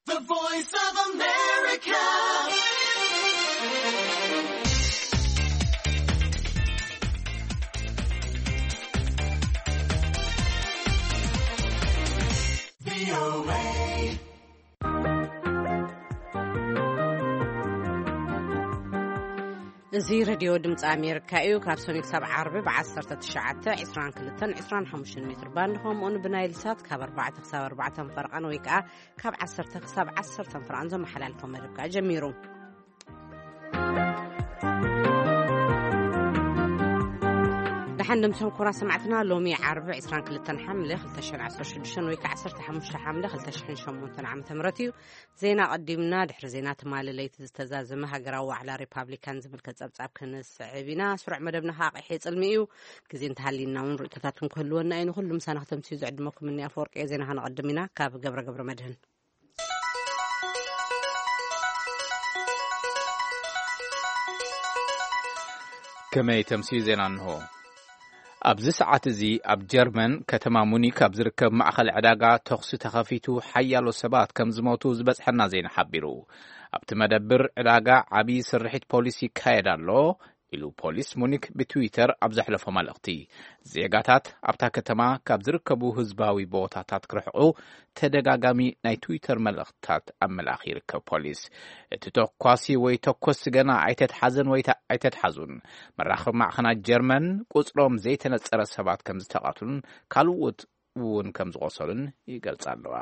The Voice of America. እዚ ሬድዮ ድምፂ ኣሜሪካ እዩ። ካብ ሰኑይ ክሳብ ዓርቢ ብ19፣ 22፣ 25 ሜትር ባንድ፣ ከምኡውን ብናይል ሳት ካብ ኣርባዕተ ክሳብ ኣርባዕተ ፈርቓን ወይ ከዓ ካብ ዓሰርተ ክሳብ ዓሰርተ ፍርቓን ዘመሓላልፎ መደብ ከኣ ጀሚሩ። ደሓን ድምሶም ኩቡራት ሰማዕትና፣ ሎሚ ዓርቢ 22 ሓምለ 2016 ወይ ከዓ 15 ሓምለ 2008 ዓመተ ምህረት እዩ። ዜና ቀዲምና። ድሕሪ ዜና ትማሊ ለይቲ ዝተዛዘመ ሃገራዊ ዋዕላ ሪፓብሊካን ዝምልከት ጸብጻብ ክንስዕብ ኢና። ስሩዕ መደብና ከዓ ቀይሕ ጽልሚ እዩ። ግዜ እንተሃልዩና እውን ርእይቶታት ክህልወና እዩ። ንኹሉ ምሳና ክተምስዩ ዝዕድመኩም እኒ ኣፈወርቂ እየ። ዜና ከነቐድም ኢና። ካብ ገብረ ገብረ መድህን። ከመይ ተምስዩ ዜና እንሆ። ኣብዚ ሰዓት እዚ ኣብ ጀርመን ከተማ ሙኒክ ኣብ ዝርከብ ማእኸል ዕዳጋ ተኹሲ ተኸፊቱ ሓያሎ ሰባት ከም ዝሞቱ ዝበጽሐና ዜና ሓቢሩ። ኣብቲ መደብር ዕዳጋ ዓብዪ ስርሒት ፖሊስ ይካየድ ኣሎ ኢሉ ፖሊስ ሙኒክ ብትዊተር ኣብ ዘሕለፎ መልእኽቲ። ዜጋታት ኣብታ ከተማ ካብ ዝርከቡ ህዝባዊ ቦታታት ክርሕቑ ተደጋጋሚ ናይ ትዊተር መልእኽትታት ኣብ ምልኣኽ ይርከብ ፖሊስ። እቲ ተኳሲ ወይ ተኮስቲ ገና ኣይተትሓዘን ወይ ተ-፣ ኣይተትሓዙን። መራኸቢ ማዕኸናት ጀርመን ቁጽሮም ዘይተነጸረ ሰባት ከም ዝተቐትሉን ካልኦት እውን ከም ዝቖሰሉን ይገልጻ ኣለዋ።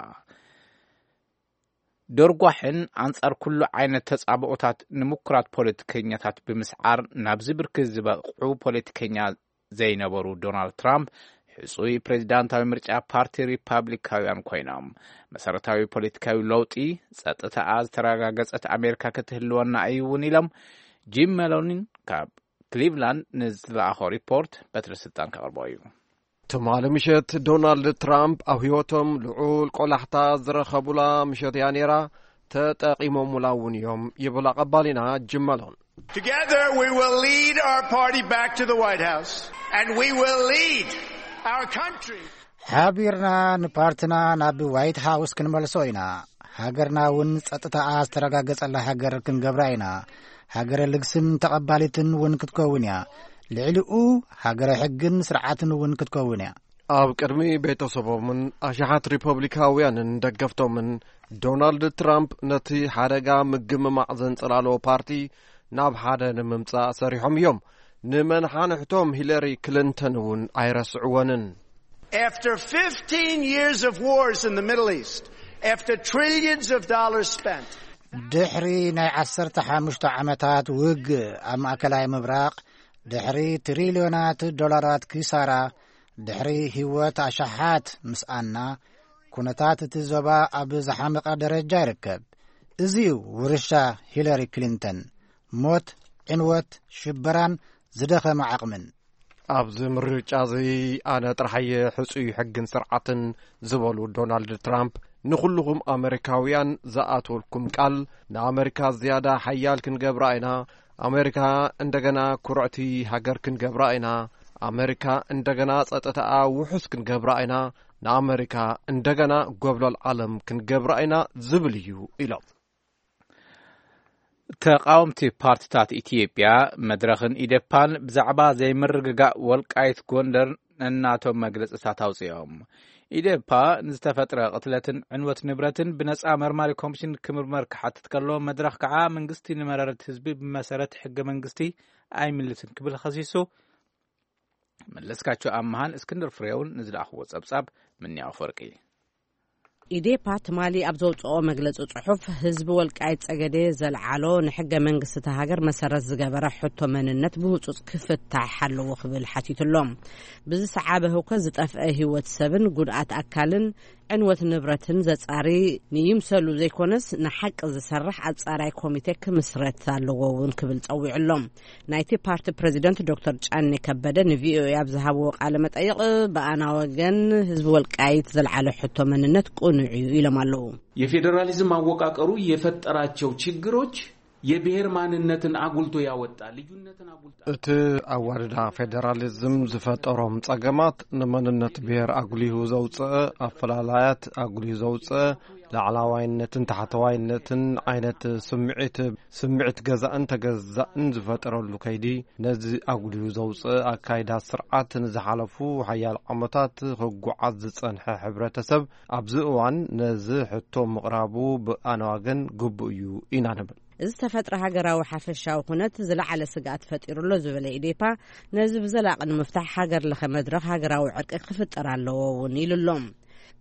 ደርጓሕን ኣንጻር ኩሉ ዓይነት ተጻብኦታት ንምኩራት ፖለቲከኛታት ብምስዓር ናብዚ ብርኪ ዝበቕዑ ፖለቲከኛ ዘይነበሩ ዶናልድ ትራምፕ ሕጹይ ፕሬዚዳንታዊ ምርጫ ፓርቲ ሪፓብሊካውያን ኮይኖም። መሰረታዊ ፖለቲካዊ ለውጢ፣ ጸጥታኣ ዝተረጋገጸት ኣሜሪካ ክትህልወና እዩ እውን ኢሎም። ጂም መሎኒን ካብ ክሊቭላንድ ንዝለኣኾ ሪፖርት በትሪ ስልጣን ከቕርቦ እዩ። ትማሊ ምሸት ዶናልድ ትራምፕ ኣብ ህይወቶም ልዑል ቆላሕታ ዝረኸቡላ ምሸት እያ ነይራ። ተጠቒሞሙላ እውን እዮም ይብል ኣቐባሊና ጅም መሎን። Together, we will lead our party back to the White House, and we will lead our country. ሓቢርና ንፓርትና ናብ ዋይት ሃውስ ክንመልሶ ኢና። ሃገርና እውን ጸጥታኣ ዝተረጋገጸላ ሃገር ክንገብራ ኢና። ሃገረ ልግስን ተቐባሊትን እውን ክትከውን እያ። ልዕሊኡ ሃገረ ሕግን ስርዓትን እውን ክትከውን እያ። ኣብ ቅድሚ ቤተሰቦምን ኣሽሓት ሪፐብሊካውያንን ደገፍቶምን፣ ዶናልድ ትራምፕ ነቲ ሓደጋ ምግምማዕ ዘንጸላሎ ፓርቲ ናብ ሓደ ንምምጻእ ሰሪሖም እዮም። ንመንሓንሕቶም ሂለሪ ክሊንተን እውን ኣይረስዕወንን። After fifteen years of wars in the Middle East, after trillions of dollars spent, ድሕሪ ናይ 15 ዓመታት ውግእ ኣብ ማእከላይ ምብራቕ፣ ድሕሪ ትሪልዮናት ዶላራት ኪሳራ፣ ድሕሪ ህይወት ኣሽሓት ምስኣና፣ ኩነታት እቲ ዞባ ኣብ ዝሓመቐ ደረጃ ይርከብ። እዚ እዩ ውርሻ ሂለሪ ክሊንተን። ሞት፣ ዕንወት፣ ሽበራን ዝደኸመ ዓቕምን። ኣብዚ ምርጫ እዚ ኣነ ጥራሕ እየ ሕጹይ ሕግን ስርዓትን ዝበሉ ዶናልድ ትራምፕ፣ ንኹልኹም ኣመሪካውያን ዝኣትወልኩም ቃል፣ ንኣመሪካ ዝያዳ ሓያል ክንገብራ ኢና። ኣመሪካ እንደገና ኩርዕቲ ሃገር ክንገብራ ኢና። ኣመሪካ እንደገና ጸጥታኣ ውሑስ ክንገብራ ኢና። ንኣመሪካ እንደገና ጎብለል ዓለም ክንገብራ ኢና ዝብል እዩ ኢሎም። ተቓወምቲ ፓርቲታት ኢትዮጵያ መድረኽን ኢዴፓን ብዛዕባ ዘይምርግጋእ ወልቃይት ጎንደር ነናቶም መግለጽታት ኣውጺኦም። ኢዴፓ ንዝተፈጥረ ቅትለትን ዕንወት ንብረትን ብነጻ መርማሪ ኮሚሽን ክምርመር ክሓትት ከሎ፣ መድረኽ ከዓ መንግስቲ ንመረረት ህዝቢ ብመሰረት ሕገ መንግስቲ ኣይምልስን ክብል ከሲሱ። መለስካቸው ኣምሃን እስክንድር ፍሬውን ንዝለኣኽዎ ጸብጻብ ምንያው ፈርቂ። ኢዴፓ ትማሊ ኣብ ዘውፅኦ መግለፂ ፅሑፍ፣ ህዝቢ ወልቃይት ፀገዴ ዘልዓሎ ንሕገ መንግስቲ እታ ሃገር መሰረት ዝገበረ ሕቶ መንነት ብህፁፅ ክፍታሕ ኣለዎ ክብል ሓቲቱ ኣሎ። ብዝሰዓበ ህውከት ዝጠፍአ ህይወት ሰብን ጉድኣት ኣካልን ዕንወት ንብረትን ዘፃሪ ንይምሰሉ ዘይኮነስ ንሓቂ ዝሰርሕ ኣፃራይ ኮሚቴ ክምስረት ኣለዎ እውን ክብል ፀዊዑ ኣሎ። ናይቲ ፓርቲ ፕሬዚደንት ዶክተር ጫኔ ከበደ ንቪኦኤ ኣብ ዝሃብዎ ቃለ መጠይቕ፣ ብኣና ወገን ህዝቢ ወልቃይት ዘልዓለ ሕቶ መንነት ቅኑዕ እዩ ኢሎም ኣለዉ። የፌዴራሊዝም አወቃቀሩ የፈጠራቸው ችግሮች የብሔር ማንነትን አጉልቶ ያወጣ፣ ልዩነትን አጉልቶ እቲ ኣዋድዳ ፌደራሊዝም ዝፈጠሮም ጸገማት፣ ንመንነት ብሔር ኣጉሊሁ ዘውፅእ ኣፈላላያት ኣጉሊሁ ዘውፅእ፣ ላዕላዋይነትን ታሕተዋይነትን ዓይነት ስምዒት ስምዒት ገዛእን ተገዛእን ዝፈጠረሉ ከይዲ፣ ነዚ ኣጉሊሁ ዘውፅእ ኣካይዳ ስርዓት ንዝሓለፉ ሓያል ዓመታት ክጓዓዝ ዝፀንሐ ሕብረተሰብ፣ ኣብዚ እዋን ነዚ ሕቶ ምቕራቡ ብኣነ ዋገን ግቡእ እዩ ኢና ንብል። እዚ ዝተፈጥረ ሃገራዊ ሓፈሻዊ ኩነት ዝለዓለ ስግኣት ፈጢሩ ኣሎ ዝበለ ኢዴፓ፣ ነዚ ብዘላቒ ንምፍታሕ ሃገር ለኸ መድረኽ ሃገራዊ ዕርቂ ክፍጠር ኣለዎ እውን ኢሉ ኣሎ።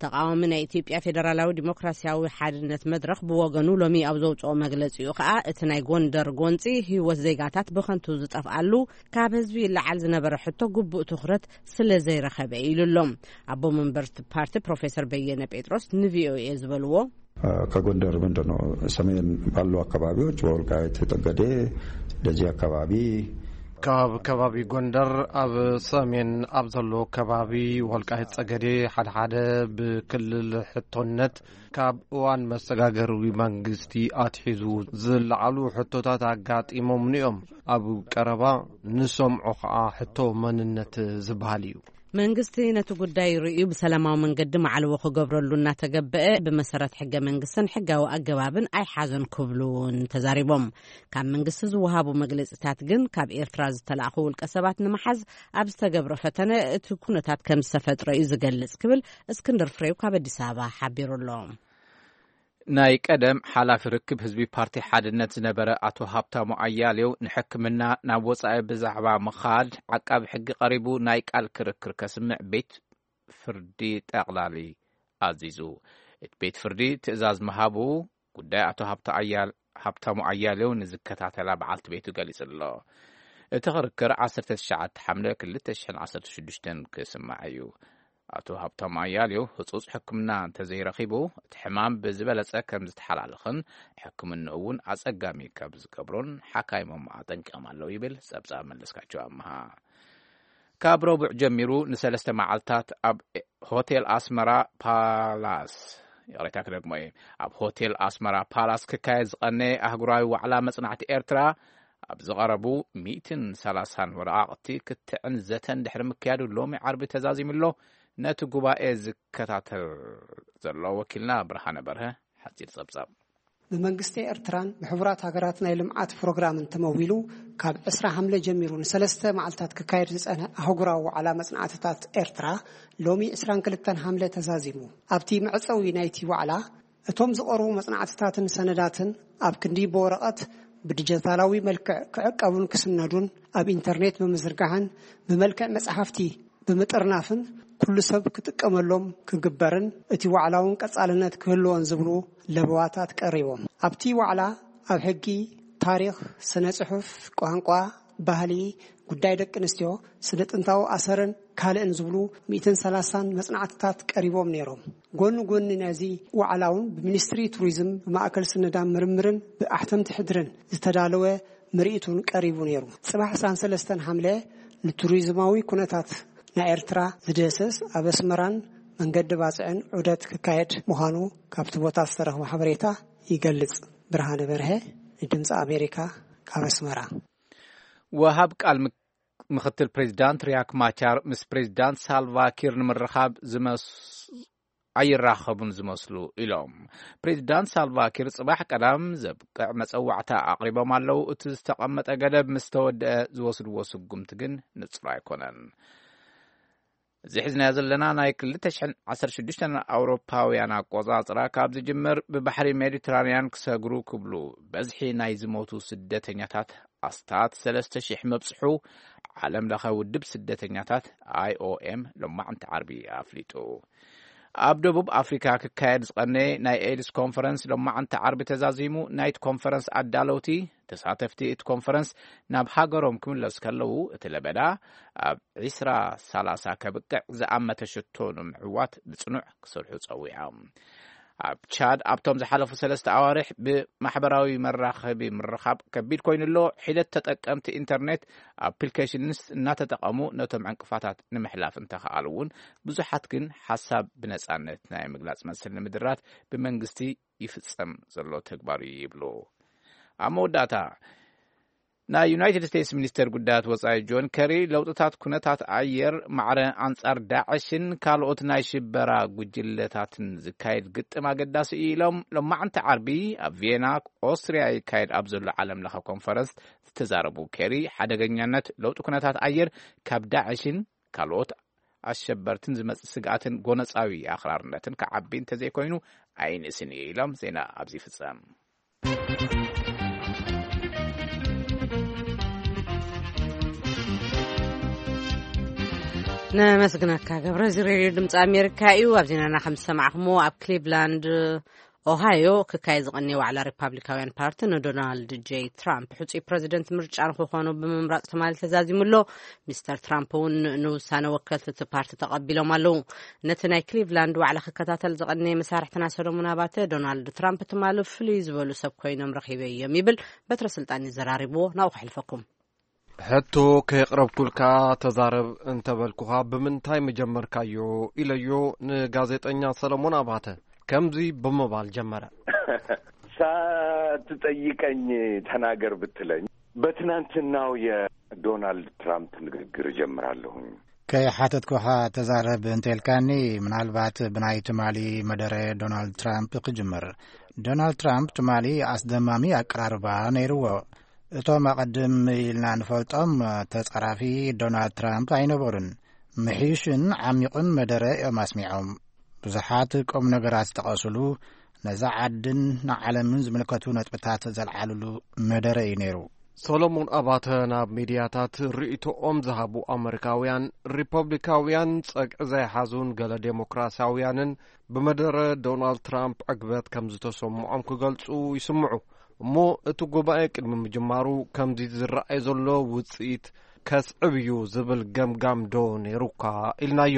ተቃዋሚ ናይ ኢትዮጵያ ፌደራላዊ ዲሞክራሲያዊ ሓድነት መድረኽ ብወገኑ ሎሚ ኣብ ዘውፅኦ መግለፂኡ ከዓ፣ እቲ ናይ ጎንደር ጎንፂ ህይወት ዜጋታት ብኸንቱ ዝጠፍኣሉ፣ ካብ ህዝቢ ይለዓል ዝነበረ ሕቶ ግቡእ ትኹረት ስለ ዘይረኸበ ኢሉ ኣሎ። ኣቦ መንበር ፓርቲ ፕሮፌሰር በየነ ጴጥሮስ ንቪኦኤ ዝበልዎ፣ ከጎንደር ምንድን ነው ሰሜን ባሉ አካባቢዎች በወልቃይት ጠገዴ፣ ደጀ አካባቢ፣ ካብ ከባቢ ጎንደር ኣብ ሰሜን ኣብ ዘሎ ከባቢ ወልቃይት ጸገዴ፣ ሓደ ሓደ ብክልል ሕቶነት ካብ እዋን መሰጋገሪ መንግስቲ ኣትሒዙ ዝለዓሉ ሕቶታት ኣጋጢሞምኒ እዮም። ኣብ ቀረባ ንሰምዖ ከኣ ሕቶ መንነት ዝበሃል እዩ። መንግስቲ ነቲ ጉዳይ ርእዩ ብሰላማዊ መንገዲ ማዕልዎ ክገብረሉ እናተገበአ፣ ብመሰረት ሕገ መንግስትን ሕጋዊ ኣገባብን ኣይሓዘን ክብሉ እውን ተዛሪቦም። ካብ መንግስቲ ዝወሃቡ መግለጺታት ግን፣ ካብ ኤርትራ ዝተላእኹ ውልቀ ሰባት ንምሓዝ ኣብ ዝተገብረ ፈተነ እቲ ኩነታት ከም ዝተፈጥረ እዩ ዝገልጽ ክብል እስክንድር ፍሬው ካብ ኣዲስ ኣበባ ሓቢሩ ኣሎ። ናይ ቀደም ሓላፊ ርክብ ህዝቢ ፓርቲ ሓድነት ዝነበረ ኣቶ ሃብታሙ ኣያሌው፣ ንሕክምና ናብ ወጻኢ ብዛዕባ ምኻድ ዓቃቢ ሕጊ ቀሪቡ ናይ ቃል ክርክር ከስምዕ ቤት ፍርዲ ጠቕላሊ ኣዚዙ። እቲ ቤት ፍርዲ ትእዛዝ ምሃቡ ጉዳይ ኣቶ ሃብታ ኣያል-፣ ሃብታሙ ኣያሌው ንዝከታተላ በዓልቲ ቤቱ ገሊጹ ኣሎ። እቲ ክርክር ዓሰርተ ትሽዓተ ሓምለ ክልተ ሽሕን ዓሰርተ ሽዱሽተን ክስማዕ እዩ። ኣቶ ሃብታሙ ኣያሌው ህጹጽ ሕክምና እንተዘይረኺቡ፣ እቲ ሕማም ብዝበለጸ ከም ዝተሓላልኽን ሕክምንኡ እውን ኣጸጋሚ ከም ዝገብሮን ሓካይሞም ኣጠንቂቖም ኣለዉ ይብል ጸብጻብ መለስካቸው ኣምሃ። ካብ ረቡዕ ጀሚሩ ንሰለስተ መዓልታት ኣብ ሆቴል ኣስመራ ፓላስ፣ ይቕሬታ ክደግሞ እየ፣ ኣብ ሆቴል ኣስመራ ፓላስ ክካየድ ዝቐነየ ኣህጉራዊ ዋዕላ መጽናዕቲ ኤርትራ፣ ኣብ ዝቐረቡ ሚእትን ሰላሳን ወረቓቕቲ ክትዕን ዘተን ድሕሪ ምክያዱ፣ ሎሚ ዓርቢ ተዛዚሙ ኣሎ። ነቲ ጉባኤ ዝከታተል ዘሎ ወኪልና ብርሃነ በርሀ ሓጺር ጸብጻብ። ብመንግስቲ ኤርትራን ብሕቡራት ሃገራት ናይ ልምዓት ፕሮግራምን ተመዊሉ፣ ካብ ዕስራ ሓምለ ጀሚሩ ንሰለስተ መዓልታት ክካየድ ዝጸንሐ ኣህጉራዊ ዋዕላ መጽናዕትታት ኤርትራ፣ ሎሚ ዕስራን ክልተን ሓምለ ተዛዚሙ። ኣብቲ መዕጸዊ ናይቲ ዋዕላ፣ እቶም ዝቐርቡ መጽናዕትታትን ሰነዳትን ኣብ ክንዲ ብወረቐት፣ ብዲጂታላዊ መልክዕ ክዕቀቡን ክስነዱን፣ ኣብ ኢንተርኔት ብምዝርጋሕን ብመልክዕ መጽሓፍቲ ብምጥርናፍን፣ ኩሉ ሰብ ክጥቀመሎም ክግበርን፣ እቲ ዋዕላ እውን ቀጻልነት ክህልዎን ዝብሉ ለበዋታት ቀሪቦም። ኣብቲ ዋዕላ፣ ኣብ ሕጊ፣ ታሪኽ፣ ስነ ጽሑፍ፣ ቋንቋ፣ ባህሊ፣ ጉዳይ ደቂ ኣንስትዮ፣ ስነ ጥንታዊ ኣሰርን ካልእን ዝብሉ ሚእትን ሰላሳን መጽናዕትታት ቀሪቦም ነይሮም። ጎኒ ጎኒ ነዚ ዋዕላ እውን ብሚኒስትሪ ቱሪዝም፣ ብማእከል ስነዳን ምርምርን ብኣሕተምቲ ሕድርን ዝተዳለወ ምርኢት እውን ቀሪቡ ነይሩ። ጽባሕ ዕስራን ሰለስተን ሓምለ ንቱሪዝማዊ ኩነታት ናይ ኤርትራ ዝድህስስ ኣብ ኣስመራን መንገዲ ባጽዕን ዑደት ክካየድ ምዃኑ ካብቲ ቦታ ዝተረኽበ ሓበሬታ ይገልጽ። ብርሃነ በርሀ ንድምጺ ኣሜሪካ ካብ ኣስመራ። ወሃብ ቃል ምክ-፣ ምክትል ፕሬዚዳንት ሪያክ ማቻር ምስ ፕሬዚዳንት ሳልቫ ኪር ንምርኻብ ዝመስ-፣ ኣይራኸቡን ዝመስሉ ኢሎም። ፕሬዚዳንት ሳልቫ ኪር ጽባሕ ቀዳም ዘብቅዕ መጸዋዕታ ኣቕሪቦም ኣለዉ። እቲ ዝተቐመጠ ገደብ ምስ ተወድአ ዝወስድዎ ስጉምቲ ግን ንጹር ኣይኮነን። እዚ ሒዝናዮ ዘለና ናይ ክልተ ሽሕን ዓሰርተ ሽዱሽተን ኣውሮፓውያን ኣቆጻጽራ ካብ ዝጅምር፣ ብባሕሪ ሜዲትራንያን ክሰግሩ ክብሉ በዝሒ ናይ ዝሞቱ ስደተኛታት ኣስታት ሰለስተ ሽሕ ምብጽሑ፣ ዓለም ለኸ ውድብ ስደተኛታት፣ ኣይ ኦ ኤም፣ ሎማዕንቲ ዓርቢ ኣፍሊጡ። ኣብ ደቡብ ኣፍሪካ ክካየድ ዝቐነየ ናይ ኤድስ ኮንፈረንስ ሎማዕንቲ ዓርቢ ተዛዚሙ። ናይቲ ኮንፈረንስ ኣዳለውቲ፣ ተሳተፍቲ እቲ ኮንፈረንስ ናብ ሃገሮም ክምለሱ ከለዉ፣ እቲ ለበዳ ኣብ ዕስራ ሰላሳ ከብቅዕ ዝኣመተ ሽቶ ንምዕዋት ብጽኑዕ ክሰርሑ ጸዊዖም። ኣብ ቻድ ኣብቶም ዝሓለፉ ሰለስተ ኣዋርሕ ብማሕበራዊ መራኸቢ ምርኻብ ከቢድ ኮይኑ ኣሎ። ሒደት ተጠቀምቲ ኢንተርኔት ኣፕሊኬሽንስ እናተጠቐሙ ነቶም ዕንቅፋታት ንምሕላፍ እንተኸኣሉ እውን፣ ብዙሓት ግን ሓሳብ ብነጻነት ናይ ምግላጽ መሰል ንምድራት ብመንግስቲ ይፍጸም ዘሎ ተግባር እዩ ይብሉ። ኣብ መወዳእታ፣ ናይ ዩናይትድ ስቴትስ ሚኒስተር ጉዳያት ወጻኢ ጆን ከሪ፣ ለውጥታት ኩነታት ኣየር፣ ማዕረ ኣንጻር ዳዕሽን ካልኦት ናይ ሽበራ ጉጅለታትን ዝካየድ ግጥም ኣገዳሲ እዩ ኢሎም። ሎማዕንቲ ዓርቢ ኣብ ቪየና ኦስትሪያ ይካየድ ኣብ ዘሎ ዓለም ለኸ ኮንፈረንስ ዝተዛረቡ ኬሪ፣ ሓደገኛነት ለውጢ ኩነታት ኣየር ካብ ዳዕሽን ካልኦት ኣሸበርትን ዝመጽእ ስግኣትን ጎነጻዊ ኣኽራርነትን ክዓቢ እንተዘይኮይኑ ኣይንእስን እዩ ኢሎም። ዜና ኣብዚ ይፍጸም። ነመስግነካ ገብረ። እዚ ሬድዮ ድምፂ ኣሜሪካ እዩ። ኣብ ዜናና ከም ዝሰማዕኹሞ፣ ኣብ ክሊቭላንድ ኦሃዮ ክካየድ ዝቐነየ ዋዕላ ሪፓብሊካውያን ፓርቲ ንዶናልድ ጄ ትራምፕ ሕፁይ ፕረዚደንት ምርጫ ንክኾኑ ብምምራፅ ትማሊ ተዛዚሙ ኣሎ። ሚስተር ትራምፕ እውን ንውሳነ ወከልቲ እቲ ፓርቲ ተቐቢሎም ኣለዉ። ነቲ ናይ ክሊቭላንድ ዋዕላ ክከታተል ዝቐነየ መሳርሕትና ሰሎሞን ኣባተ፣ ዶናልድ ትራምፕ ትማሊ ፍሉይ ዝበሉ ሰብ ኮይኖም ረኺበዮም ይብል። በትረ ስልጣን እዩ ዘራሪብዎ። ናብኡ ከሕልፈኩም። ሕቶ ከየቕረብኩልካ ተዛረብ እንተበልኩኻ ብምንታይ ምጀመርካዮ ኢለዮ ንጋዜጠኛ ሰለሞን ኣባተ። ከምዚ ብምባል ጀመረ። ሳትጠይቀኝ ተናገር ብትለኝ በትናንትናው የዶናልድ ትራምፕ ንግግር እጀምራለሁኝ። ከይሓተትኩኻ ተዛረብ እንተልካኒ፣ ምናልባት ብናይ ትማሊ መደረ ዶናልድ ትራምፕ ክጅምር። ዶናልድ ትራምፕ ትማሊ ኣስደማሚ ኣቀራርባ ነይርዎ። እቶም ኣቐድም ኢልና ንፈልጦም ተጻራፊ ዶናልድ ትራምፕ ኣይነበሩን። ምሕዩሽን ዓሚቑን መደረ እዮም ኣስሚዖም። ብዙሓት ቁም ነገራት ዝጠቐሱሉ፣ ነዛ ዓድን ንዓለምን ዝምልከቱ ነጥብታት ዘልዓሉሉ መደረ እዩ ነይሩ። ሰሎሞን ኣባተ ናብ ሚድያታት ርእይቶኦም ዝሃቡ ኣመሪካውያን፣ ሪፐብሊካውያን ጸግዒ ዘይሓዙን ገለ ዴሞክራሲያውያንን ብመደረ ዶናልድ ትራምፕ ዕግበት ከም ዝተሰምዖም ክገልጹ ይስምዑ። እሞ እቲ ጉባኤ ቅድሚ ምጅማሩ ከምዚ ዝረኣይ ዘሎ ውጽኢት ከስዕብ እዩ ዝብል ገምጋም ዶ ነይሩካ ኢልናዮ።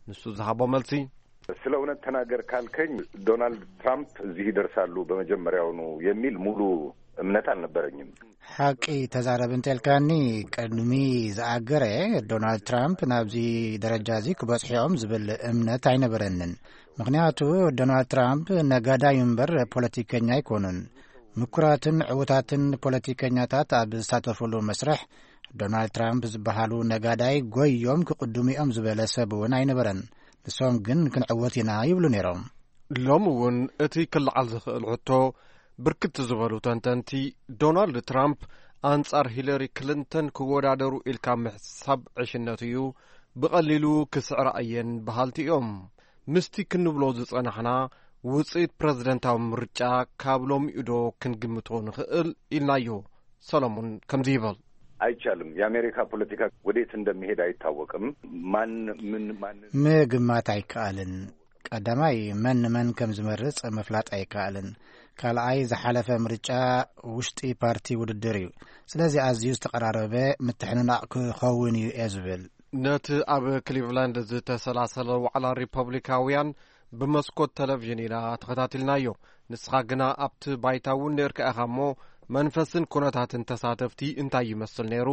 ንሱ ዝሃቦ መልሲ፣ ስለ እውነት ተናገር ካልከኝ፣ ዶናልድ ትራምፕ እዚህ ይደርሳሉ በመጀመሪያውኑ የሚል ሙሉ እምነት አልነበረኝም። ሓቂ ተዛረብ እንተልካኒ፣ ቅድሚ ዝኣገረ ዶናልድ ትራምፕ ናብዚ ደረጃ እዚ ክበጽሑ እዮም ዝብል እምነት ኣይነበረንን። ምኽንያቱ ዶናልድ ትራምፕ ነጋዳይ እምበር ፖለቲከኛ ኣይኮኑን። ምኩራትን ዕዉታትን ፖለቲከኛታት ኣብ ዝሳተፉሉ መስርሕ፣ ዶናልድ ትራምፕ ዝበሃሉ ነጋዳይ ጎዮም ክቕድሙ እዮም ዝበለ ሰብ እውን ኣይነበረን። ንሶም ግን ክንዕወት ኢና ይብሉ ነይሮም። ሎሚ እውን እቲ ክለዓል ዝኽእል ሕቶ፣ ብርክት ዝበሉ ተንተንቲ፣ ዶናልድ ትራምፕ ኣንጻር ሂለሪ ክሊንተን ክወዳደሩ ኢልካ ምሕሳብ ዕሽነት እዩ፣ ብቐሊሉ ክስዕራ እየን በሃልቲ እዮም። ምስቲ ክንብሎ ዝጸናሕና፣ ውጽኢት ፕረዚደንታዊ ምርጫ ካብ ሎሚኡ ዶ ክንግምቶ ንኽእል ኢልናዮ። ሰሎሞን ከምዚ ይብል። አይቻልም። የአሜሪካ ፖለቲካ ወዴት እንደሚሄድ አይታወቅም። ማን ምን ማንን ምግማት ኣይከኣልን። ቀዳማይ፣ መን ንመን ከም ዝመርጽ ምፍላጥ ኣይከኣልን። ካልኣይ፣ ዝሓለፈ ምርጫ ውሽጢ ፓርቲ ውድድር እዩ። ስለዚ ኣዝዩ ዝተቐራረበ ምትሕንናቕ ክኸውን እዩ እየ ዝብል። ነቲ ኣብ ክሊቭላንድ ዝተሰላሰለ ዋዕላ ሪፐብሊካውያን ብመስኮት ቴሌቪዥን ኢና ተኸታቲልናዮ። ንስኻ ግና ኣብቲ ባይታ እውን ነርካ ኢኻ እሞ፣ መንፈስን ኩነታትን ተሳተፍቲ እንታይ ይመስል ነይሩ?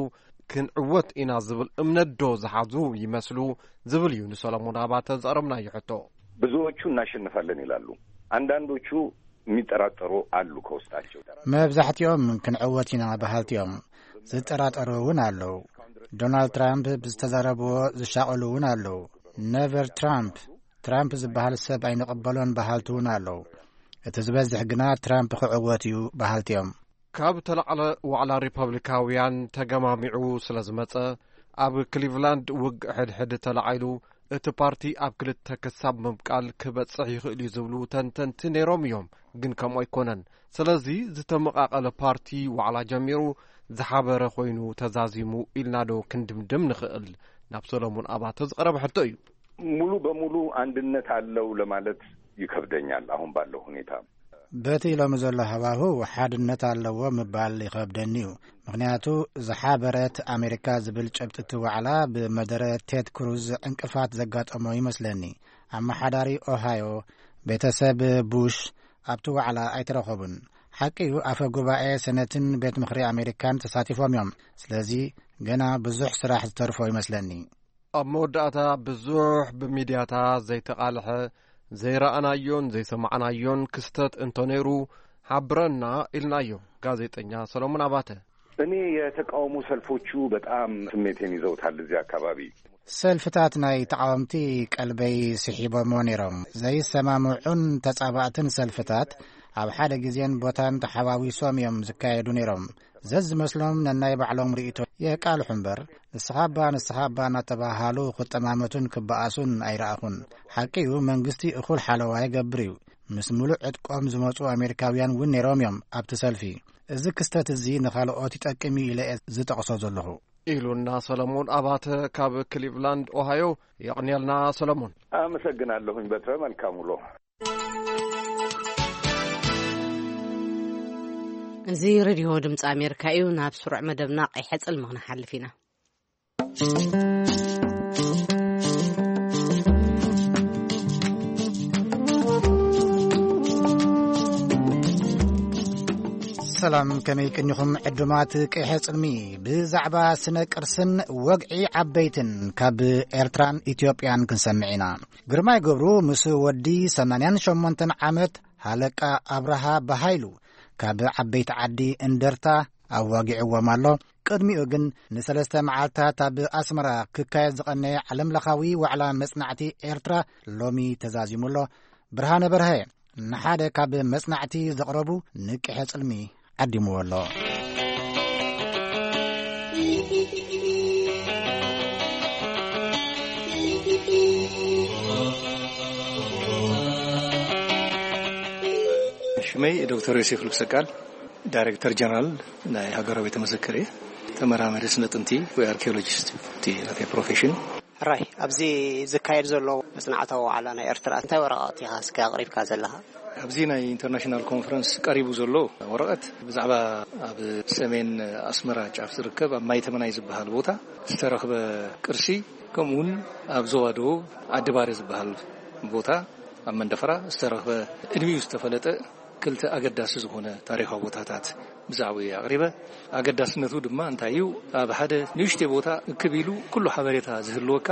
ክንዕወት ኢና ዝብል እምነት ዶ ዝሓዙ ይመስሉ? ዝብል እዩ ንሰሎሞን ኣባተ ዘቕረብናዮ ሕቶ። ብዙዎቹ እናሸንፋለን ይላሉ። አንዳንዶቹ የሚጠራጠሩ አሉ ከውስጣቸው። መብዛሕትኦም ክንዕወት ኢና በሃልቲ እዮም። ዝጠራጠሩ እውን ኣለዉ። ዶናልድ ትራምፕ ብዝተዛረብዎ ዝሻቐሉ እውን ኣለዉ። ነቨር ትራምፕ፣ ትራምፕ ዝበሃል ሰብ ኣይንቕበሎን በሃልቲ እውን ኣለዉ። እቲ ዝበዝሕ ግና ትራምፕ ክዕወት እዩ በሃልቲ እዮም። ካብ ተላዕለ ዋዕላ ሪፐብሊካውያን ተገማሚዑ ስለ ዝመጸ፣ ኣብ ክሊቭላንድ ውግእ ሕድሕድ ተላዒሉ፣ እቲ ፓርቲ ኣብ ክልተ ክሳብ ምብቃል ክበጽሕ ይኽእል እዩ ዝብሉ ተንተንቲ ነይሮም እዮም። ግን ከምኡ ኣይኮነን። ስለዚ ዝተመቓቐለ ፓርቲ ዋዕላ ጀሚሩ ዝሓበረ ኮይኑ ተዛዚሙ ኢልና ዶ ክንድምድም ንኽእል? ናብ ሰሎሞን ኣባተ ዝቐረበ ሕቶ እዩ። ሙሉ በሙሉ አንድነት አለው ለማለት ይከብደኛል አሁን ባለው ሁኔታ። በቲ ሎሚ ዘሎ ሃዋህው ሓድነት ኣለዎ ምባል ይኸብደኒ እዩ። ምኽንያቱ ዝሓበረት ኣሜሪካ ዝብል ጭብጢ እቲ ዋዕላ ብመደረ ቴድ ክሩዝ ዕንቅፋት ዘጋጠሞ ይመስለኒ። ኣመሓዳሪ ኦሃዮ፣ ቤተሰብ ቡሽ ኣብቲ ዋዕላ ኣይተረኸቡን። ሓቂ እዩ፣ ኣፈ ጉባኤ ሰነትን ቤት ምኽሪ ኣሜሪካን ተሳቲፎም እዮም። ስለዚ ገና ብዙሕ ስራሕ ዝተርፎ ይመስለኒ። ኣብ መወዳእታ፣ ብዙሕ ብሚድያታት ዘይተቓልሐ፣ ዘይረኣናዮን ዘይሰማዕናዮን ክስተት እንተነይሩ፣ ሓብረና ኢልናዮ። ጋዜጠኛ ሰሎሞን ኣባተ። እኔ የተቃውሞ ሰልፎቹ በጣም ስሜቴን ይዘውታል እዚህ አካባቢ። ሰልፍታት ናይ ተቃወምቲ ቀልበይ ስሒቦሞ ነይሮም። ዘይሰማምዑን ተጻባእትን ሰልፍታት ኣብ ሓደ ግዜን ቦታን ተሓዋዊሶም እዮም ዝካየዱ ነይሮም። ዘዝመስሎም ነናይ ባዕሎም ርእይቶ የቃልሑ እምበር፣ ንስኻ እባ፣ ንስኻ እባ እናተባሃሉ ክጠማመቱን ክበኣሱን ኣይረኣኹን። ሓቂ እዩ፣ መንግስቲ እኹል ሓለዋ ይገብር እዩ። ምስ ምሉእ ዕጥቆም ዝመጹ ኣሜሪካውያን እውን ነይሮም እዮም ኣብቲ ሰልፊ። እዚ ክስተት እዚ ንኻልኦት ይጠቅም እዩ ኢለ እየ ዝጠቕሶ ዘለኹ። ኢሉና ሰለሞን ኣባተ ካብ ክሊቭላንድ ኦሃዮ። የቕንየልና ሰለሞን። ኣመሰግናለሁኝ በትረ። መልካም ውሎ። እዚ ሬድዮ ድምፂ ኣሜሪካ እዩ። ናብ ስሩዕ መደብና ቀይሐ ጽልሚ ክንሓልፍ ኢና። ሰላም፣ ከመይ ቅኒኹም ዕዱማት ቀይሐ ጽልሚ? ብዛዕባ ስነ ቅርስን ወግዒ ዓበይትን ካብ ኤርትራን ኢትዮጵያን ክንሰምዕ ኢና። ግርማይ ገብሩ ምስ ወዲ ሰማንያን ሸሞንተን ዓመት ሃለቃ ኣብርሃ በሃይሉ ካብ ዓበይቲ ዓዲ እንደርታ ኣዋጊዕዎም ኣሎ። ቅድሚኡ ግን ንሰለስተ መዓልታት ኣብ ኣስመራ ክካየድ ዝቐነየ ዓለምለኻዊ ዋዕላ መጽናዕቲ ኤርትራ ሎሚ ተዛዚሙ ኣሎ። ብርሃነ በርሀ ንሓደ ካብ መጽናዕቲ ዘቕረቡ ንቅሐ ጽልሚ ዓዲምዎ ኣሎ። ሽመይ ዶክተር ዮሴፍ ልብሰቃል፣ ዳይሬክተር ጀነራል ናይ ሃገራዊ ቤተ መዘክር እየ። ተመራማሪ ስነ ጥንቲ ወይ ኣርኪኦሎጂስት እቲ ናተይ ፕሮፌሽን። ሕራይ፣ ኣብዚ ዝካየድ ዘሎ መጽናዕታዊ ዋዕላ ናይ ኤርትራ እንታይ ወረቓቕቲ ኢኻ እስከ ኣቕሪብካ ዘለኻ? ኣብዚ ናይ ኢንተርናሽናል ኮንፈረንስ ቀሪቡ ዘሎ ወረቐት ብዛዕባ ኣብ ሰሜን ኣስመራ ጫፍ ዝርከብ ኣብ ማይ ተመናይ ዝበሃል ቦታ ዝተረኽበ ቅርሲ፣ ከምኡውን ኣብ ዞባ ደቡብ ዓዲባሪ ዝበሃል ቦታ ኣብ መንደፈራ ዝተረኽበ፣ ቅድሚኡ ዝተፈለጠ ክልተ ኣገዳሲ ዝኾነ ታሪኻዊ ቦታታት ብዛዕባኡ ኣቕሪበ። ኣገዳስነቱ ድማ እንታይ እዩ? ኣብ ሓደ ንእሽተይ ቦታ እክብ ኢሉ ኩሉ ሓበሬታ ዝህልወካ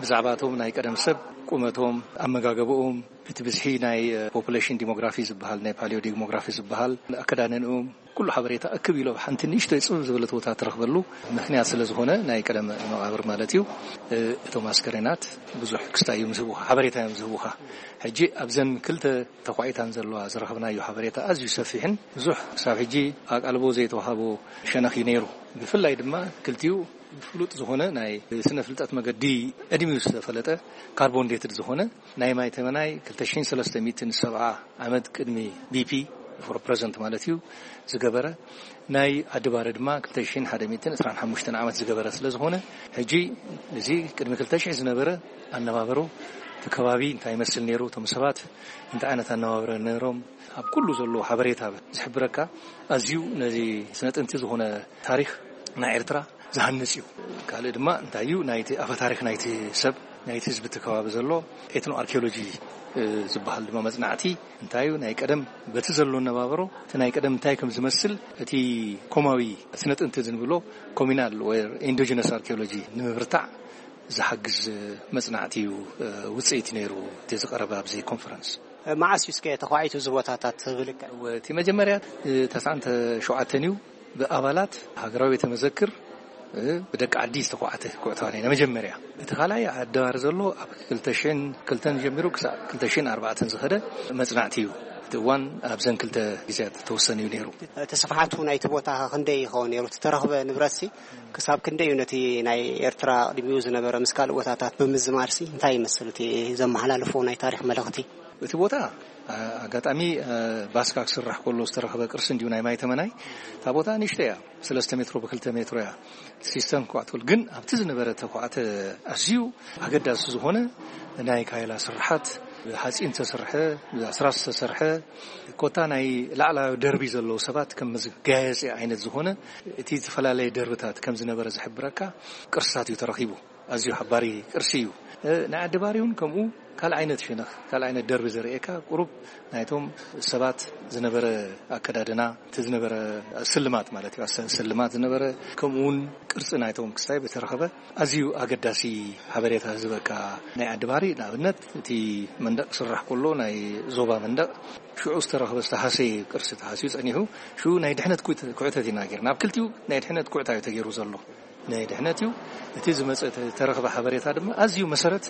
ብዛዕባቶም ናይ ቀደም ሰብ፣ ቁመቶም፣ ኣመጋገባኦም፣ እቲ ብዝሒ ናይ ፖፑሌሽን ዲሞግራፊ ዝበሃል፣ ናይ ፓሊዮ ዲሞግራፊ ዝበሃል፣ ኣከዳድንኦም፣ ኩሉ ሓበሬታ እክብ ኢሉ ኣብ ሓንቲ ንእሽተይ ጽብብ ዝበለት ቦታ ትረኽበሉ ምኽንያት ስለ ዝኾነ፣ ናይ ቀደም መቓብር ማለት እዩ። እቶም ኣስከሬናት ብዙሕ ክስታይ እዮም ዝህቡኻ፣ ሓበሬታ እዮም ዝህቡኻ። ሕጂ ኣብዘን ክልተ ተኳዒታን ዘለዋ ዝረኸብናዮ ሓበሬታ ኣዝዩ ሰፊሕን ብዙሕ ክሳብ ሕጂ ኣቃልቦ ዘይተዋሃቦ ሸነኽ እዩ ነይሩ። ብፍላይ ድማ ክልቲኡ ፍሉጥ ዝኾነ ናይ ስነ ፍልጠት መገዲ ዕድሚኡ ዝተፈለጠ ካርቦን ዴትድ ዝኾነ ናይ ማይ ተመናይ ክልተ ሽሕን ሰለስተ ሚእትን ሰብዓ ዓመት ቅድሚ ቢፒ ፎር ፕረዘንት ማለት እዩ ዝገበረ፣ ናይ ዓዲ ባረ ድማ ክልተ ሽሕን ሓደ ሚእትን ዕስራን ሓሙሽተን ዓመት ዝገበረ ስለ ዝኾነ፣ ሕጂ እዚ ቅድሚ ክልተ ሽሕ ዝነበረ ኣነባበሮ፣ እቲ ከባቢ እንታይ ይመስል ነይሩ፣ እቶም ሰባት እንታይ ዓይነት ኣነባበረ ነይሮም፣ ኣብ ኩሉ ዘሎ ሓበሬታ ዝሕብረካ፣ ኣዝዩ ነዚ ስነ ጥንቲ ዝኾነ ታሪኽ ናይ ኤርትራ ዝሃንጽ እዩ። ካልእ ድማ እንታይ እዩ፣ ናይቲ ኣፈ ታሪኽ ናይቲ ሰብ፣ ናይቲ ህዝቢ እቲ ከባቢ ዘሎ ኤትኖ ኣርኪኦሎጂ፣ እ፣ ዝበሃል ድማ መጽናዕቲ እንታይ እዩ፣ ናይ ቀደም በቲ ዘሎ ነባብሮ፣ እቲ ናይ ቀደም እንታይ ከም ዝመስል፣ እቲ ኮማዊ ስነ ጥንቲ ዝንብሎ ኮሚናል ወይ ኢንዶጂነስ ኣርኪኦሎጂ ንምብርታዕ ዝሓግዝ መጽናዕቲ እዩ፣ እ፣ ውጽኢት ነይሩ እቲ ዝቐረበ ኣብዚ ኮንፈረንስ። መዓስ እዩ እስከ ተዃዒቱ እዚ ቦታታት ብልክዕ? እቲ መጀመርያ፣ እ፣ ተስዓን ሸውዓተን እዩ። ብኣባላት ሃገራዊ ቤተ መዘክር፣ እ፣ ብደቂ ዓዲ ዝተዃዕተ ኩዕታዋ ናይ መጀመርያ። እቲ ካልኣይ ኣደባሪ ዘሎ ኣብ ክልተ ሽሕን ክልተን ጀሚሩ ክሳብ ክልተ ሽሕን ኣርባዕተን ዝኸደ መጽናዕቲ እዩ። እቲ እዋን ኣብዘን ክልተ ግዜያት ተወሰነ እዩ ነይሩ። እቲ ስፍሓቱ ናይቲ ቦታ ክንደይ ይኸውን ነይሩ? እቲ ተረኽበ ንብረትሲ ክሳብ ክንደይ እዩ ነቲ ናይ ኤርትራ ቅድሚኡ ዝነበረ ምስ ካልእ ቦታታት ብምዝማርሲ እንታይ ይመስል እቲ ዘመሓላልፎ ናይ ታሪኽ መልእኽቲ? እቲ ቦታ፣ ኣ-፣ ኣጋጣሚ፣ ኣ፣ ባስካ ክስራሕ ከሎ ዝተረኸበ ቅርሲ እንዲሁ ናይ ማይ ተመናይ። እታ ቦታ ንእሽቶ እያ፣ ሰለስተ ሜትሮ ብክልተ ሜትሮ እያ። ሲስተም ክኳዕተሉ ግን ኣብቲ ዝነበረ ተኳዕተ ኣዝዩ ኣገዳሲ ዝኾነ ናይ ካይላ ስርሓት፣ ብሓፂን ዝተሰርሐ፣ ብኣስራስ ዝተሰርሐ፣ ኮታ ናይ ላዕላዊ ደርቢ ዘለዉ ሰባት ከም መጋየፂ ዓይነት ዝኾነ እቲ ዝተፈላለየ ደርብታት ከም ዝነበረ ዝሕብረካ ቅርስታት እዩ ተረኺቡ። ኣዝዩ ሓባሪ ቅርሲ እዩ። እ፣ ናይ ዓዲ ባሪ እውን ከምኡ ካልእ ዓይነት ሸነኽ፣ ካልእ ዓይነት ደርቢ ዘርእየካ፣ ቁሩብ ናይቶም ሰባት ዝነበረ ኣከዳድና፣ እቲ ዝነበረ ስልማት ማለት እዩ፣ ኣሰ-፣ ስልማት ዝነበረ፣ ከምኡ እውን ቅርጺ ናይቶም ክስታይ ብተረኸበ ኣዝዩ ኣገዳሲ ሓበሬታ ዝህበካ። ናይ ዓዲ ባህሪ ንኣብነት እቲ መንደቕ ክስራሕ ከሎ ናይ ዞባ መንደቕ ሽዑ ዝተረኸበ ዝተሃሰየ ቅርሲ ተሃስዩ ጸኒሑ ሽዑ ናይ ድሕነት ኩት-፣ ኩዕተት ኢና ጌርና። ኣብ ክልቲኡ ናይ ድሕነት ኩዕታ እዩ ተገይሩ ዘሎ። ናይ ድሕነት እዩ። እቲ ዝመጸ ተ-፣ ተረኽበ ሓበሬታ ድማ ኣዝዩ መሰረት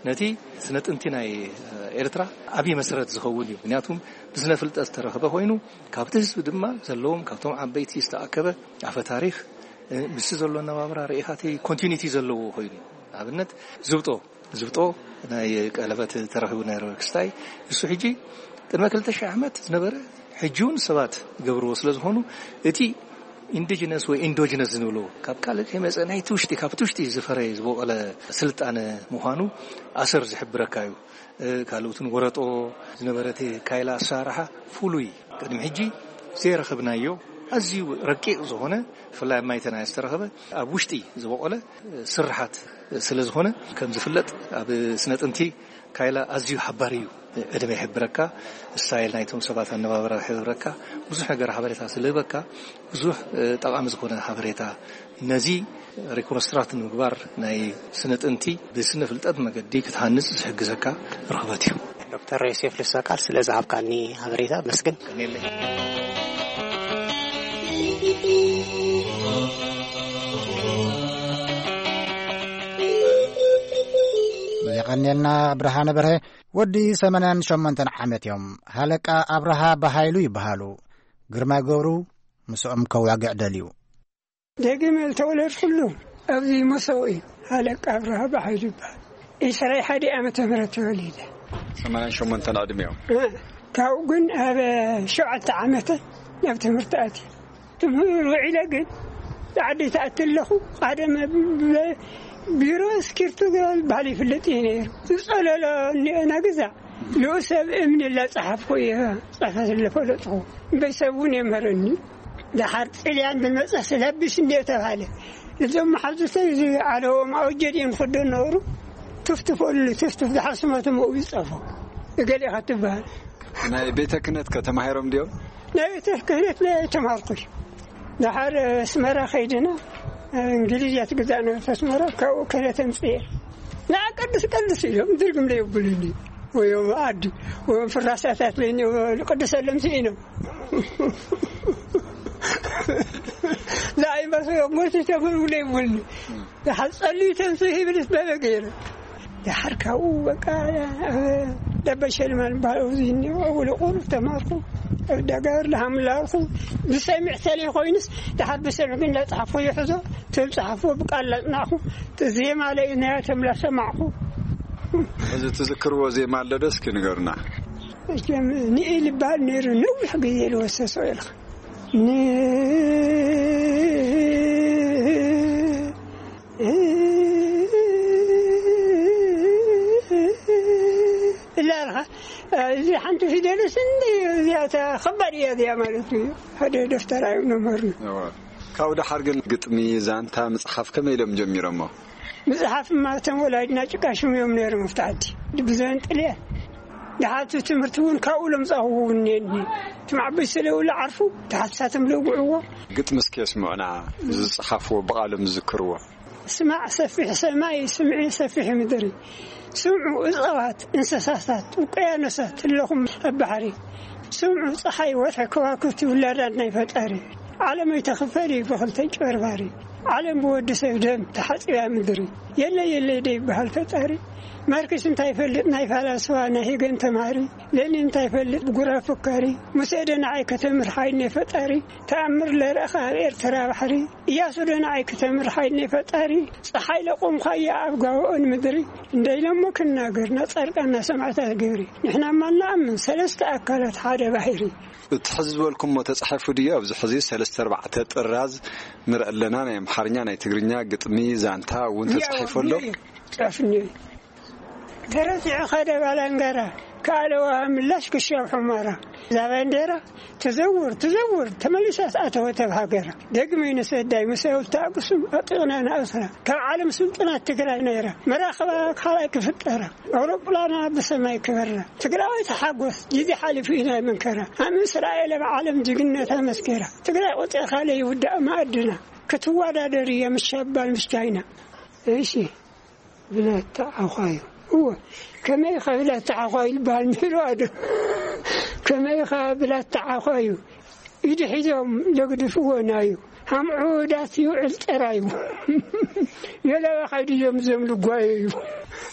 ነቲ ስነ ጥንቲ ናይ ኤርትራ ዓብዪ መሰረት ዝኸውን እዩ። ምክንያቱም ብስነ ፍልጠት ዝተረኽበ ኮይኑ ካብቲ ህዝቢ ድማ ዘለዎም ካብቶም ዓበይቲ ዝተኣከበ ኣፈ ታሪኽ፣ እ፣ ምስቲ ዘሎ ኣነባብራ ርኢኻቲ ኮንቲኒቲ ዘለዎ ኮይኑ፣ ንኣብነት ዝብጦ፣ ዝብጦ ናይ ቀለበት ተረኺቡ ናይ ክስታይ፣ እሱ ሕጂ ቅድመ ክልተ ሺሕ ዓመት ዝነበረ ሕጂ እውን ሰባት ይገብርዎ ስለ ዝኾኑ፣ እቲ ኢንዲጂነስ ወይ ኢንዶጂነስ ዝንብሎ ካብ ካልእ ከይመጸ ናይቲ ውሽጢ፣ ካብቲ ውሽጢ ዝፈረየ ዝበቆለ ስልጣነ ምዃኑ ኣሰር ዝሕብረካ እዩ። እ፣ ካልኦትን ወረጦ ዝነበረ እቲ ካይላ ኣሰራርሓ ፍሉይ፣ ቅድሚ ሕጂ ዘይረኸብናዮ ኣዝዩ ረቂቕ ዝኾነ፣ ብፍላይ ኣብ ማይተና ዝተረኸበ፣ ኣብ ውሽጢ ዝበቆለ ስርሓት ስለ ዝኾነ፣ ከም ዝፍለጥ ኣብ ስነ ጥንቲ ካይላ ኣዝዩ ሓባሪ እዩ። ዕድመ ይሕብረካ፣ ስታይል ናይቶም ሰባት ኣነባብራ ይሕብረካ፣ ብዙሕ ነገር ሓበሬታ ስለ ህበካ፣ ብዙሕ፣ እ፣ ጠቓሚ ዝኾነ ሓበሬታ ነዚ ሪኮንስትራክት ንምግባር ናይ ስነ ጥንቲ ብስነ ፍልጠት መገዲ ክትሃንጽ ዝሕግዘካ ርኽበት እዩ። ዶክተር ዮሴፍ ልሳቃል ስለ ዝሃብካኒ ሓበሬታ መስግን። ቀኒለይ። የቐንየልና ብርሃነ በርሀ። ወዲ ሰማንያን ሸሞንተን ዓመት እዮም። ሃለቃ ኣብርሃ ብሃይሉ ይበሃሉ። ግርማይ ገብሩ ምስኦም ከዋግዕ ደልዩ። ደጊመ ዝተወለድኩሉ ኣብዚ መሰው እዩ። ሃለቃ ኣብርሃ ብሃይሉ ይበሃል። ዒስራን ሓደን ዓመተ ምህረት ተወሊደ። ሰማንያን ሸሞንተን ዕድሜኦም። እ፣ ካብኡ ግን ኣብ ሸውዓተ ዓመተ ናብ ትምህርቲ ኣትየ። ትምህር ውዒለ ግን ዓዲ ተኣቲ ኣለኹ። ቀደም ብ-፣ ብ-፣ ቢሮ እስኪርቶ ዝበሃል ይፍለጥ እዩ ነይሩ። ዝጸለሎ እኒኦ ናግዛ ንኡ ሰብ እምኒ ላጸሓፍኩ እየ። ጽሕፈት ለፈለጥኹ። እምበይ ሰብ እውን የምህረኒ። ደሓር ጥልያን ብመጻ ስለብስ እንደ ተባለ እዞም መሓዙተይ እዚ ዓለዎም ኣውጀድ እዮም ዝኽደኑ ነበሩ። ትፍትፈሉ፣ ትፍትፍ ደሓር ስመቶም ኣብኡ ይጸፎ። እገሌ ኢኻ ትበሃል። ናይ ቤተ ክህነት ከ ተማሂሮም ድዮም? ናይ ቤተ ክህነት ናይ ተማርኩ። ደሓር ኣስመራ ከይድና እንግሊዝ እያ ትግዛእ ነበረት ኣስመራ፣ ካብኡ ክህነት ኣምፅኤ። ንዓ ቀድስ ቀድስ ኢሎም ድርግም ለየብሉኒ። ወዮም ዓዲ፣ ወዮም ፍራሳታት ለይኒ፣ ቅድሰሎም ስኢኖም። ንዓይ መስ-፣ ሞት ተምር ለይብሉኒ። ደሓር ጸልዩ ተንሱ ይብል በበ ገይረ። ደሓር ካብኡ በቃ ደበሸልማን ባለው ዝኒ ውልቁ ተማርኩ። ደጋር ለሃምላልኩ ብሰሚዕ ተለይ ኮይንስ ደሓር ብሰሚዕ ግን ለጽሓፎ ይሕዞ ተብጽሓፎ ብቃል ለጽናዕኩ። ዜማ ለይ ናይ ተምላ ሰማዕኩ። እዚ ትዝክርዎ ዜማ ኣሎ ዶ እስኪ ንገሩና። መቸም ንኢ ልባል ነይሩ ነዊሕ ግዜ ልወሰሶ ኢልካ ን እላ ኣለኻ። እዚ ሓንቲ ፊደልስ እንዲ እዚኣ እታ ኸባድ እያ እዚኣ ማለት እዩ። ሓደ ደፍተራ እዮም ነምህርና። እዋ። ካብኡ ደሓር ግን ግጥሚ፣ ዛንታ፣ ምጽሓፍ ከመይ ኢሎም ጀሚሮሞ? ምጽሓፍማ እቶም ወላዲና ጭቃ ሽም እዮም ነይሮም ኣብቲ ዓዲ። ብዘን ጥልያን። ደሓር እቲ ትምህርቲ እውን ካብኡ ለምጻኹዎ እውን እኒአኒ። እቶም ዓበይቲ ስለ ውላ ዓርፉ፣ ተሓሳቶም ለውግዕዎ። ግጥሚ እስኪ የስምዑና፣ ዝጸሓፍዎ ብቓሎም ዝዝክርዎ። ስማዕ ሰፊሕ ሰማይ፣ ስምዒ ሰፊሕ ምድሪ። ስምዑ እጽዋት፣ እንስሳታት፣ ውቅያኖሳት፣ ኣለኹም ኣብ ባሕሪ። ስምዑ ጸሓይ፣ ወርሒ፣ ከዋክብቲ፣ ውላዳት ናይ ፈጣሪ። ዓለም ኣይተኽፈል እዩ ብኽልተ ጨርባሪ። ዓለም ብወዲ ሰብ ደም ተሓጺባ ምድሪ። የለ የለ ደይበሃል ፈጣሪ። ማርክስ እንታይ ይፈልጥ ናይ ፈላስፋ ናይ ሄገን ተማሪ። ሌኒን እንታይ ይፈልጥ ብጉራ ፈካሪ። ሙሴ ዶ ንዓይ ከተምህር ሓይል ናይ ፈጣሪ። ተኣምር ለረእኻ ኣብ ኤርትራ ባሕሪ። እያሱ ዶ ንዓይ ከተምህር ሓይል ናይ ፈጣሪ። ጸሓይ ለቆምኻያ ኣብ ጋብኦን ምድሪ። እንደ ኢሎሞ ክናገር ናጻድቃን ናሰማዕታት ግብሪ። ንሕናማ ንኣምን ሰለስተ ኣካላት ሓደ ባሕሪ። እቲ ሕዚ ዝበልኩሞ ተጻሒፉ ድዩ? ኣብዚ ሕዚ ሰለስተ ኣርባዕተ ጥራዝ ንርኢ ኣለና። ናይ ኣምሓርኛ፣ ናይ ትግርኛ፣ ግጥሚ፣ ዛንታ እውን ተጻሒፉ ኣሎ። ጽሑፍ እኒኦ። ተረቲዑ ኸደ ባላንጋራ፣ ከኣለዋ ምላሽ ክሻብ ሑመራ። እዛ ባንዴራ ትዘውር ትዘውር፣ ተመሊሳ ኣተወት ኣብ ሃገራ። ደግመ ይንሰዳይ ምስ ኣውልቲ ኣቅሱም ኣጢቕና ንኣስራ። ካብ ዓለም ስልጡናት ትግራይ ነይራ። መራኸባ ካልኣይ ክፍጠራ። ኣውሮፕላና ብሰማይ ክበራ። ትግራዋይ ተሓጎስ፣ ግዜ ሓሊፉ ኢና መንከራ። ኣብ እስራኤል ኣብ ዓለም ጅግነት ኣመስከራ። ትግራይ ቆፂርካ ለይውዳእ መኣድና። ክትወዳደር እያ ምስ ሻባል ምስ ቻይና። እሺ። ብላታ ዓዃዩ። እወ፣ ከመይ ኢኻ ብላታ ዓዃዩ ይበሃል ምህልዋ ዶ? ከመይ ኢኻ ብላታ ዓዃዩ? ኢዱ ሒዞም ዘግድፍዎ ናዩ። ሃምዑ ዳስ ይውዕል ጠራዩ። የለዋ ኸይዱ እዮም ዘም ልጓየዩ።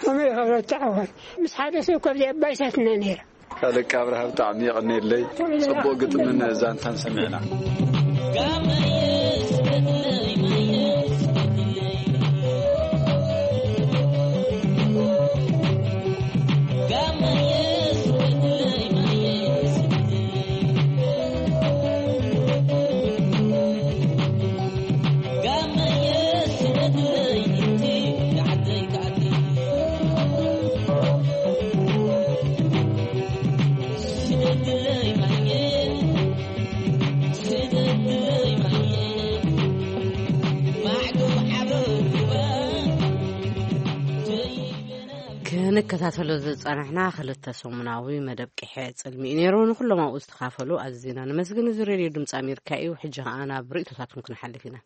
ከመይ ኢኻ ብላታ ዓዃዩ? ምስ ሓደ ሰብ ካብዚ ኣባይሳትና ነይራ። ኣለቃ ኣብርሃ ብጣዕሚ የቐንየለይ። ጽቡቕ ግጥምን ዛንታን ሰሚዕና። ክንከታተሎ ዝጸናሕና ክልተ ሰሙናዊ መደብ ቅሐ ጽልሚ እዩ ነይሩ። ንኹሎም ኣብኡ ዝተኻፈሉ ኣዝና ነመስግን። እዚ ሬድዮ ድምፂ ኣሜሪካ እዩ። ሕጂ ኸኣ ናብ ርእይቶታትኩም ክንሓልፍ ኢና።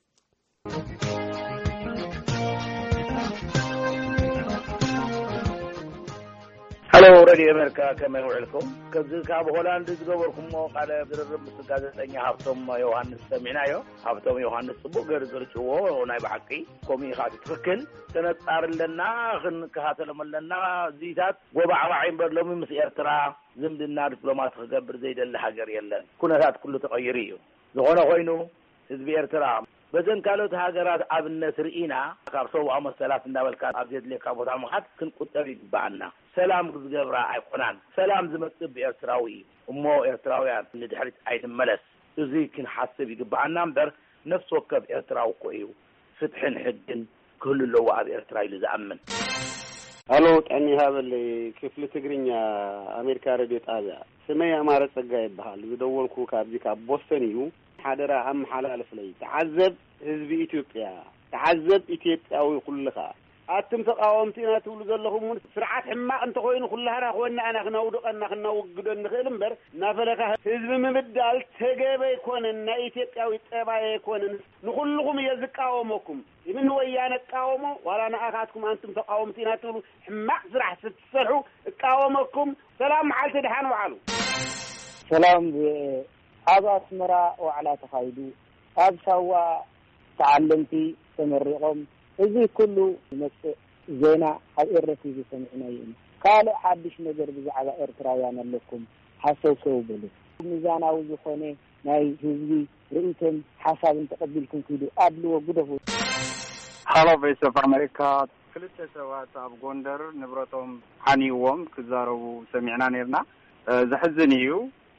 ሃሎ ሬድዮ ኣሜሪካ፣ ከመይ ውዕልኩም? ከዚ ካብ ሆላንድ ዝገበርኩሞ ቃለ ዝርርብ ምስ ጋዜጠኛ ሃብቶም ዮሃንስ ሰሚዕናዮ። ሃብቶም ዮሃንስ ጽቡቕ ገይሩ ዘርጭዎ ናይ ብሓቂ፣ ከምኡ ኢኻ፣ እቲ ትኽክል። ተነጻሪ ኣለና፣ ክንከታተሎም ኣለና። እዚታት ጎባዕባዕ እምበር ሎሚ ምስ ኤርትራ ዝምድና ዲፕሎማሲ ክገብር ዘይደሊ ሃገር የለን። ኩነታት ኩሉ ተቐይሩ እዩ። ዝኾነ ኮይኑ ህዝቢ ኤርትራ በዘን ካልኦት ሃገራት ኣብነት ርኢና፣ ካብ ሰብኣዊ መሰላት እንዳበልካ ኣብ ዘድልየካ ቦታ ምኻድ ክንቁጠብ ይግብኣና። ሰላም ዝገብራ ኣይኮናን። ሰላም ዝመጽእ ብኤርትራዊ እዩ። እሞ ኤርትራውያን ንድሕሪት ኣይንመለስ። እዚ ክንሓስብ ይግብኣና እምበር፣ ነፍሲ ወከፍ ኤርትራዊ እኮ እዩ ፍትሕን ሕግን ክህሉ ኣለዎ ኣብ ኤርትራ ኢሉ ዝኣምን። ኣሎ፣ ጥዕና ይሃበለይ። ክፍሊ ትግርኛ ኣሜሪካ ሬድዮ ጣብያ። ስመይ ኣማረ ጸጋ ይበሃል። ዝደወልኩ ካብዚ ካብ ቦስተን እዩ። ሓደራ ኣመሓላልፍለይ። ተዓዘብ ህዝቢ ኢትዮጵያ፣ ተዓዘብ ኢትዮጵያዊ ኩልኻ። ኣቱም ተቃወምቲ ኢና ትብሉ ዘለኹም እውን ስርዓት ሕማቕ እንተኾይኑ ኩላህና ኮይንና ኢና ክነውድቐና ክነውግዶ እንኽእል እምበር፣ እናፈለኻ ህዝቢ ምብዳል ተገቢ ኣይኮነን፣ ናይ ኢትዮጵያዊ ጠባይ ኣይኮነን። ንኹልኹም እየ ዝቃወመኩም። ኢብን ወያነ እቃወሞ፣ ዋላ ንኣኻትኩም ኣንቱም ተቃወምቲ ኢና ትብሉ ሕማቕ ስራሕ ስትሰርሑ እቃወመኩም። ሰላም መዓልቲ፣ ደሓን ውዓሉ። ሰላም ቪኦኤ። ኣብ ኣስመራ ዋዕላ ተኻይዱ፣ ኣብ ሳዋ ተዓለምቲ ተመሪቖም። እዚ ኩሉ ዝመጽእ ዜና ኣብ ኤረ ቲቪ ሰሚዕናዮ ኢና። ካልእ ሓድሽ ነገር ብዛዕባ ኤርትራውያን ኣለኩም፣ ሃሰውሰው በሉ። ሚዛናዊ ዝኾነ ናይ ህዝቢ ርእይቶን ሓሳብን ተቐቢልኩም ኪዱ፣ ኣድልዎ ግደፉ። ሃሎ ቮይስ ኦፍ ኣሜሪካ። ክልተ ሰባት ኣብ ጎንደር ንብረቶም ዓንይዎም ክዛረቡ ሰሚዕና ነርና። እ፣ ዘሕዝን እዩ።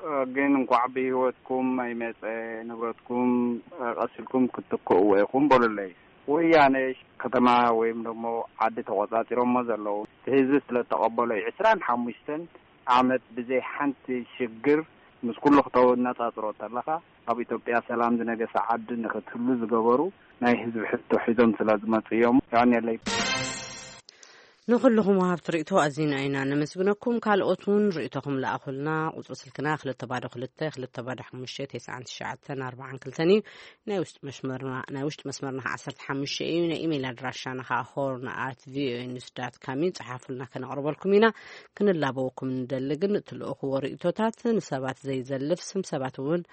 እ፣ ግን እንኳዕ ብህይወትኩም ኣይመጸ፣ ንብረትኩም፣ እ፣ ቀሲልኩም ክትትክእዎ ኢኹም በሉለይ። ወያነ ከተማ ወይም ደሞ ዓዲ ተቆጻጺሮሞ ዘለዉ፣ እቲ ህዝቢ ስለ ተቐበሎ እዩ። ዕስራን ሓሙሽተን ዓመት ብዘይ ሓንቲ ሽግር ምስ ኩሉ ክተነጻጽሮ ተለኻ፣ ኣብ ኢትዮጵያ ሰላም ዝነገሰ ዓዲ ንኽትህሉ ዝገበሩ ናይ ህዝቢ ሕቶ ሒዞም ስለ ዝመጹ እዮም። የቐንየለይ። ንኹልኹም ወሃብቲ ርእይቶ ኣዚና ኢና ነመስግነኩም። ካልኦት እውን ርእይቶኹም ለኣኹልና። ቁጽሪ ስልክና ክልተ ባዶ ክልተ፣ ክልተ ባዶ ሓሙሽተ፣ ተስዓን ትሽዓተን ኣርባዓን ክልተን እዩ። ናይ ውሽጢ መስመርና፣ ናይ ውሽጢ መስመርና ኸዓ ዓሰርተ ሓሙሽተ እዩ። ናይ ኢሜይል ኣድራሻና ኸዓ ሆርን ኣት ቪኦኤ ኒውስ ዳት ካም እዩ። ጸሓፉልና፣ ከነቕርበልኩም ኢና። ክንላበወኩም ንደሊ ግን እትልእኽዎ ርእይቶታት ንሰባት ዘይዘልፍ፣ ስም ሰባት እውን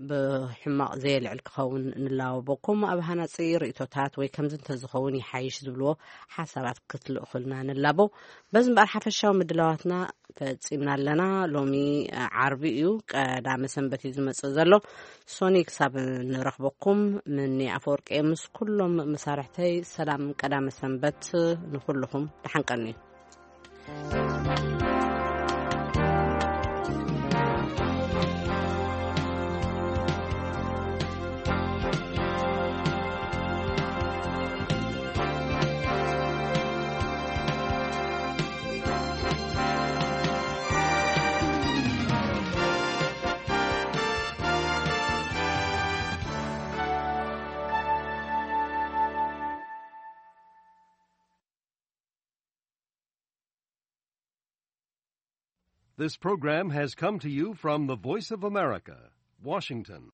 ብሕማቕ ዘየልዕል ክኸውን ንላበወኩም። ኣብ ሃናጺ ርእይቶታት ወይ ከምዚ እንተዝኸውን ይሓይሽ ዝብልዎ ሓሳባት ክትልእኹልና ንላበው። በዚ እምበኣር ሓፈሻዊ ምድላዋትና ፈጺምና ኣለና። ሎሚ ዓርቢ እዩ፣ ቀዳመ ሰንበት እዩ ዝመጽእ ዘሎ። ሶኒ ክሳብ ንረኽበኩም፣ ምኒ ኣፈወርቂ ምስ ኩሎም መሳርሕተይ ሰላም ቀዳመ ሰንበት ንኹልኹም። ደሓን ቀንዩ። This program has come to you from the Voice of America, Washington.